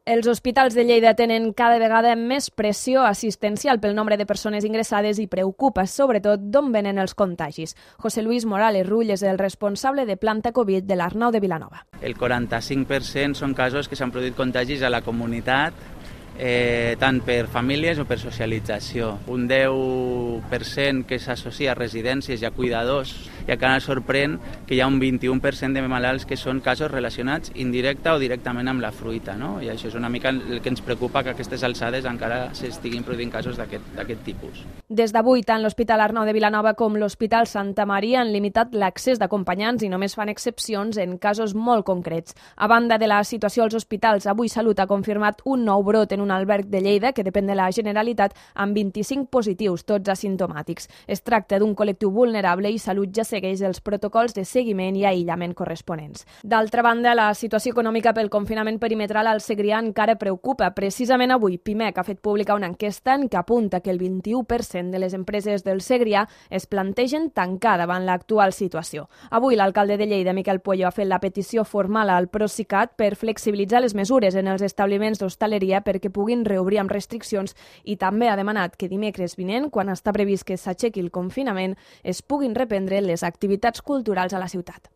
Els hospitals de Lleida tenen cada vegada més pressió assistencial pel nombre de persones ingressades i preocupa, sobretot, d'on venen els contagis. José Luis Morales Rull és el responsable de planta Covid de l'Arnau de Vilanova. El 45% són casos que s'han produït contagis a la comunitat, tant per famílies o per socialització. Un 10% que s'associa a residències i a cuidadors, i encara sorprèn que hi ha un 21% de malalts que són casos relacionats indirecta o directament amb la fruita, no? I això és una mica el que ens preocupa, que a aquestes alçades encara s'estiguin produint casos d'aquest tipus. Des d'avui, tant l'Hospital Arnau de Vilanova com l'Hospital Santa Maria han limitat l'accés d'acompanyants i només fan excepcions en casos molt concrets. A banda de la situació als hospitals, avui Salut ha confirmat un nou brot en un alberg de Lleida que depèn de la Generalitat amb 25 positius, tots asimptomàtics. Es tracta d'un col·lectiu vulnerable i Salut ja segueix els protocols de seguiment i aïllament corresponents. D'altra banda, la situació econòmica pel confinament perimetral al Segrià encara preocupa. Precisament avui, Pimec ha fet pública una enquesta en què apunta que el 21% de les empreses del Segrià es plantegen tancar davant l'actual situació. Avui l'alcalde de Lleida, Miquel Pueyo, ha fet la petició formal al Procicat per flexibilitzar les mesures en els establiments d'hostaleria perquè puguin reobrir amb restriccions i també ha demanat que dimecres vinent, quan està previst que s'aixequi el confinament, es puguin reprendre les activitats culturals a la ciutat.